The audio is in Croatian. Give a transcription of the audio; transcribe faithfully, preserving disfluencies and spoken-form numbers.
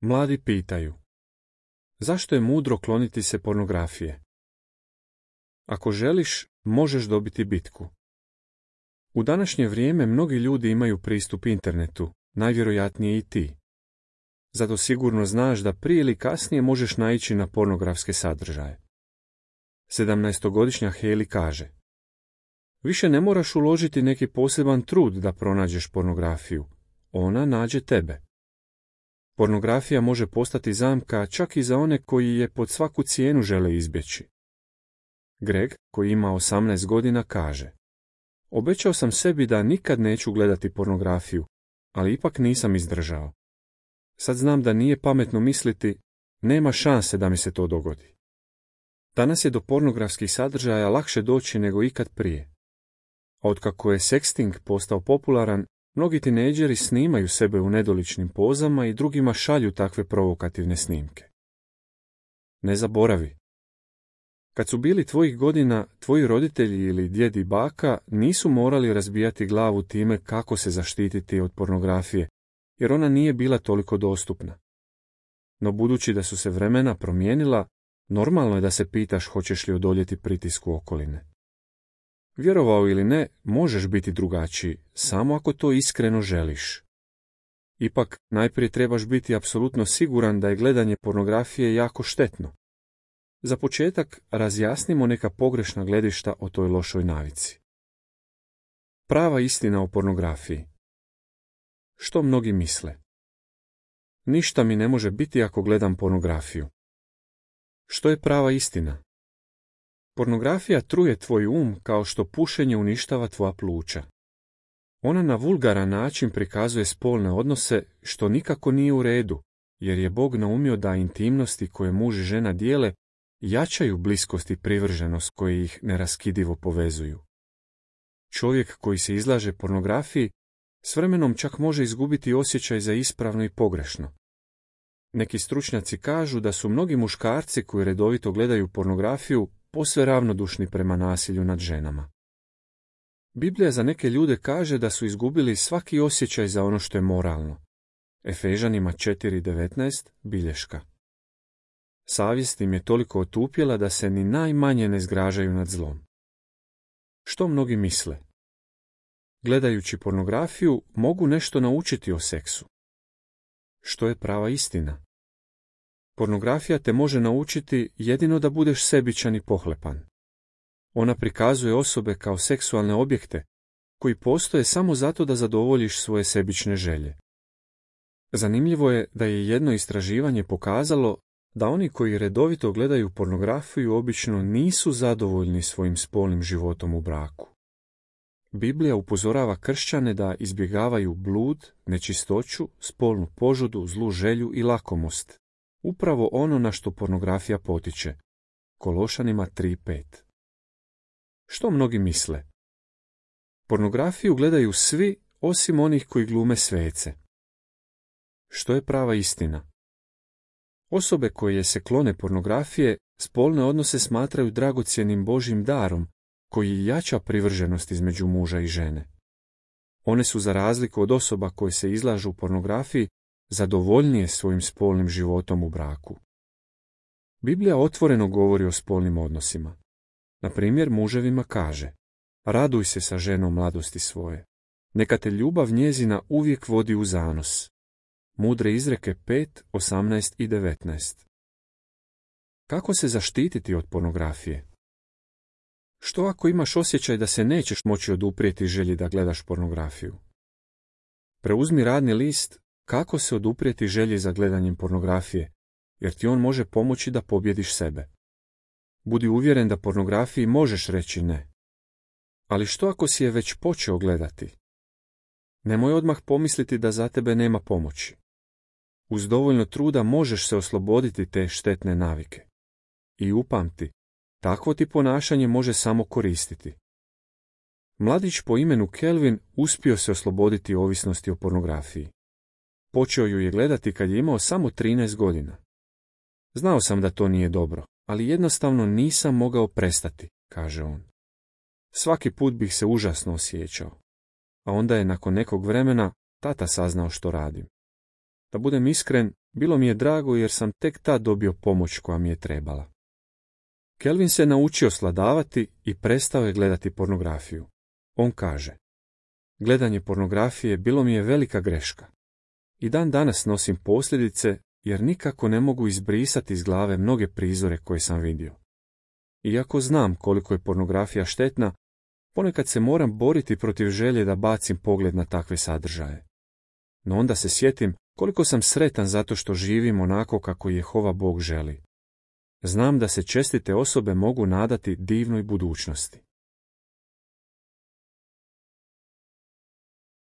Mladi pitaju: zašto je mudro kloniti se pornografije? Ako želiš, možeš dobiti bitku. U današnje vrijeme mnogi ljudi imaju pristup internetu, najvjerojatnije i ti. Zato sigurno znaš da prije ili kasnije možeš naići na pornografske sadržaje. Sedamnaestogodišnja Hailey kaže: više ne moraš uložiti neki poseban trud da pronađeš pornografiju. Ona nađe tebe. Pornografija može postati zamka čak i za one koji je pod svaku cijenu žele izbjeći. Greg, koji ima osamnaest godina, kaže: obećao sam sebi da nikad neću gledati pornografiju, ali ipak nisam izdržao. Sad znam da nije pametno misliti, nema šanse da mi se to dogodi. Danas je do pornografskih sadržaja lakše doći nego ikad prije. A otkako je sexting postao popularan, mnogi tinejdžeri snimaju sebe u nedoličnim pozama i drugima šalju takve provokativne snimke. Ne zaboravi. Kad su bili tvojih godina, tvoji roditelji ili djed i baka nisu morali razbijati glavu time kako se zaštititi od pornografije, jer ona nije bila toliko dostupna. No budući da su se vremena promijenila, normalno je da se pitaš hoćeš li odoljeti pritisku okoline. Vjerovao ili ne, možeš biti drugačiji, samo ako to iskreno želiš. Ipak, najprije trebaš biti apsolutno siguran da je gledanje pornografije jako štetno. Za početak, razjasnimo neka pogrešna gledišta o toj lošoj navici. Prava istina o pornografiji. Što mnogi misle? Ništa mi ne može biti ako gledam pornografiju. Što je prava istina? Pornografija truje tvoj um kao što pušenje uništava tvoja pluća. Ona na vulgaran način prikazuje spolne odnose, što nikako nije u redu, jer je Bog naumio da intimnosti koje muž i žena dijele jačaju bliskost i privrženost koje ih neraskidivo povezuju. Čovjek koji se izlaže pornografiji s vremenom čak može izgubiti osjećaj za ispravno i pogrešno. Neki stručnjaci kažu da su mnogi muškarci koji redovito gledaju pornografiju posve ravnodušni prema nasilju nad ženama. Biblija za neke ljude kaže da su izgubili svaki osjećaj za ono što je moralno. Efežanima četiri devetnaest bilješka. Savjest im je toliko otupjela da se ni najmanje ne zgražaju nad zlom. Što mnogi misle? Gledajući pornografiju mogu nešto naučiti o seksu. Što je prava istina? Pornografija te može naučiti jedino da budeš sebičan i pohlepan. Ona prikazuje osobe kao seksualne objekte, koji postoje samo zato da zadovoljiš svoje sebične želje. Zanimljivo je da je jedno istraživanje pokazalo da oni koji redovito gledaju pornografiju obično nisu zadovoljni svojim spolnim životom u braku. Biblija upozorava kršćane da izbjegavaju blud, nečistoću, spolnu požudu, zlu želju i lakomost. Upravo ono na što pornografija potiče. Kološanima tri pet. Što mnogi misle? Pornografiju gledaju svi osim onih koji glume svece. Što je prava istina? Osobe koje se klone pornografije spolne odnose smatraju dragocjenim Božjim darom koji jača privrženost između muža i žene. One su za razliku od osoba koje se izlažu pornografiji zadovoljnije svojim spolnim životom u braku. Biblija otvoreno govori o spolnim odnosima. Na primjer, muževima kaže: raduj se sa ženom mladosti svoje. Neka te ljubav njezina uvijek vodi u zanos. Mudre izreke pet, osamnaest i devetnaest. Kako se zaštititi od pornografije? Što ako imaš osjećaj da se nećeš moći oduprijeti želji da gledaš pornografiju? Preuzmi radni list Kako se oduprijeti želji za gledanjem pornografije, jer ti on može pomoći da pobjediš sebe. Budi uvjeren da pornografiji možeš reći ne. Ali što ako si je već počeo gledati? Nemoj odmah pomisliti da za tebe nema pomoći. Uz dovoljno truda možeš se osloboditi te štetne navike. I upamti, takvo ti ponašanje može samo koristiti. Mladić po imenu Kelvin uspio se osloboditi ovisnosti o pornografiji. Počeo ju je gledati kad je imao samo trinaest godina. Znao sam da to nije dobro, ali jednostavno nisam mogao prestati, kaže on. Svaki put bih se užasno osjećao. A onda je nakon nekog vremena tata saznao što radim. Da budem iskren, Bilo mi je drago jer sam tek tad dobio pomoć koja mi je trebala. Kelvin se naučio sladavati i prestao je gledati pornografiju. On kaže: gledanje pornografije bilo mi je velika greška. I dan danas nosim posljedice jer nikako ne mogu izbrisati iz glave mnoge prizore koje sam vidio. Iako znam koliko je pornografija štetna, ponekad se moram boriti protiv želje da bacim pogled na takve sadržaje. No onda se sjetim koliko sam sretan zato što živim onako kako Jehova Bog želi. Znam da se čestite osobe mogu nadati divnoj budućnosti.